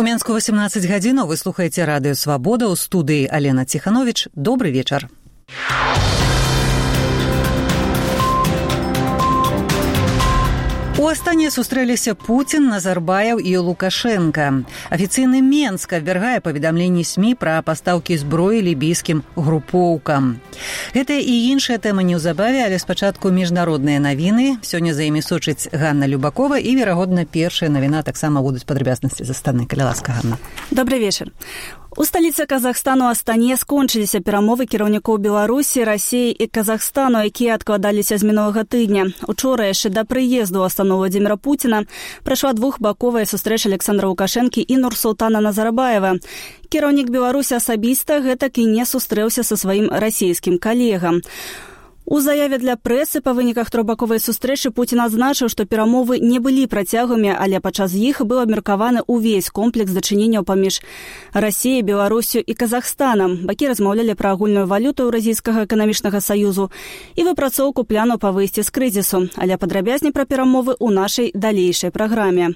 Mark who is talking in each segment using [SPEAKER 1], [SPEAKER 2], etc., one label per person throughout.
[SPEAKER 1] Мінску 18 гадзінаў. Вы слухаеце радыё «Свабода», у студыі Алена Ціхановіч. Добры вечар. У Астане сустрэліся Пуцін, Назарбаев і Лукашенко. Афіцыйны Менск абвяргае паведамленні СМІ пра пастаўкі зброі лібійскім групоўкам. Гэтыя і іншыя тэмы неўзабаве, але спачатку міжнародныя навіны. Сёння за імі сочыць Ганна Любакова і, верагодна, першая навіна таксама будуць падрабязнасці з Астаны. Калі ласка, Ганна.
[SPEAKER 2] Добрый вечар. У сталіцы Казахстану Астане скончыліся перамовы кіраўнікоў Беларусі, Расіі і Казахстану, якія адкладаліся з мінулага тыдня. Учора яшчэ да прыезду ў Астану Владзіміра Пуціна прайшла двухбаковая сустрэча Александра Лукашэнкі і Нурсултана Назарбаева. Кіраўнік Беларусі асабіста гэтак і не сустрэўся са сваім расійскім калегам. У заяве для прэсы па выніках трохбаковай сустрэчы Пуцін адзначыў, што перамовы не былі працяглымі, але падчас іх быў абмеркаваны ўвесь комплекс дачыненняў паміж Расіяй, Беларусю і Казахстанам. Бакі размаўлялі пра агульную валюту Еўразійскага эканамічнага саюзу і выпрацоўку плану па выйсці з крызісу, але падрабязней пра перамовы ў нашай далейшай праграме.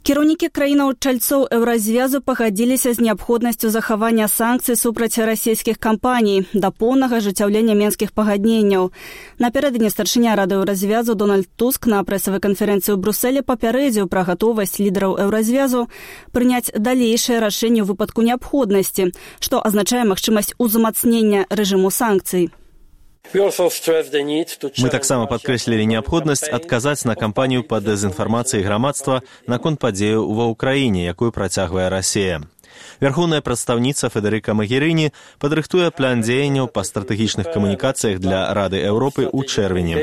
[SPEAKER 2] Кіраўнікі краінаў-чальцоў Еўразвязу пагадзіліся з неабходнасцю захавання санкцый супраць расійскіх кампаній да поўнага ажыццяўлення менскіх пагадненняў. Напярэдадні старшыня Рады Еўразвязу Дональд Туск на прэсавай канферэнцыі ў Брусэле папярэдзіў пра гатовасць лідараў Еўразвязу прыняць далейшае рашэнне ў выпадку неабходнасці, што азначае магчымасць узмацнення рэжыму санкцый.
[SPEAKER 3] Мы таксама падкрэслілі неабходнасць адказаць на кампанію па дэзінфармацыі грамадства наконт падзеяў ва ўкраіне, якую працягвае Расія. Вярхоўная прадстаўніца Федэрыка Магерыні падрыхтуе план дзеянняў па стратэгічных камунікацыях для Рады Еўропы ў чэрвені.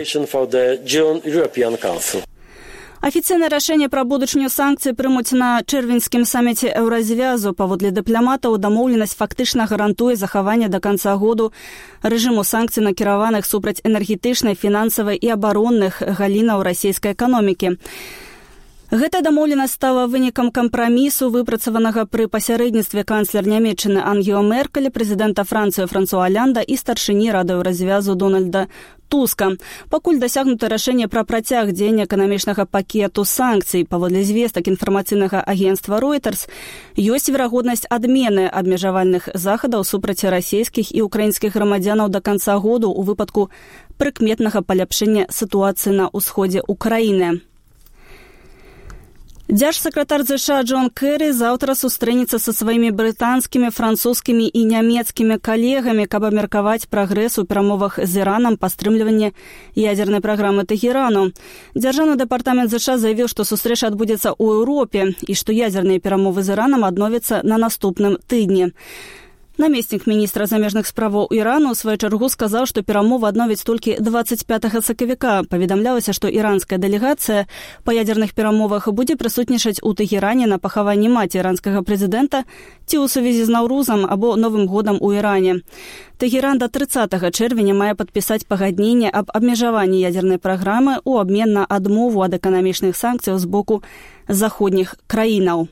[SPEAKER 2] Афіцыйнае рашэнне пра будучыню санкцый прымуць на чэрвеньскім саміце Еўразвязу. Паводле дыпламатаў, дамоўленасць фактычна гарантуе захаванне да канца году рэжыму санкцый, накіраваных супраць энергетычнай, фінансавай і абаронных галінаў расійскай эканомікі. Гэтая дамоўленасць стала вынікам кампрамісу, выпрацаванага пры пасярэдніцтве канцлер Нямецчыны Ангела Меркель, прэзідэнта Францыі Франсуа Олянда і старшыні Рады Еўразвязу Дональда Туска. Пакуль дасягнута рашэнне пра працяг дзеяння эканамічнага пакету санкцый. Паводле звестак інфармацыйнага агенцтва Reuters, ёсць верагоднасць адмены абмежавальных захадаў супраць расійскіх і украінскіх грамадзянаў да канца году ў выпадку прыкметнага паляпшэння сітуацыі на ўсходзе Украіны. Дзяржсакратар США Джон Кэрі заўтра сустрэнецца са сваімі брытанскімі, французскімі і нямецкімі калегамі, каб абмеркаваць прагрэс у перамовах з Іранам па стрымліванні ядзернай праграмы Тэхерану. Дзяржаўны дэпартамент США заявіў, што сустрэча адбудзецца ў Еўропе і што ядзерныя перамовы з Іранам адновяцца на наступным тыдні. Намеснік міністра замежных справаў Ірану ў сваю чаргу сказаў, што перамовы адновяць толькі 25 сакавіка. Паведамлялася, што іранская дэлегацыя па ядзерных перамовах будзе прысутнічаць у Тэхеране на пахаванні маці іранскага прэзідэнта ці ў сувязі з Наўрузам або Новым годам у Іране. Тэхеран да 30 чэрвеня мае падпісаць пагадненне аб абмежаванні ядзернай праграмы ў абмен на адмову ад эканамічных санкцыяў з боку заходніх краінаў.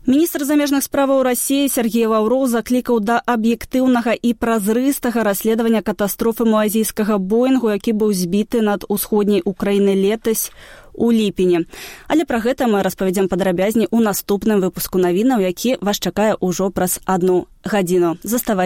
[SPEAKER 2] Міністр замежных справаў Расіі Сергей Лаўроў заклікаў да аб'ектыўнага і празрыстага расследавання катастрофы малайзійскага Боінгу, які быў збіты над усходняй Украінай летась у ліпені. Але пра гэта мы распавядзем падрабязней у наступным выпуску навінаў, які вас чакае ўжо праз 1 гадзіну. Заставайцеся.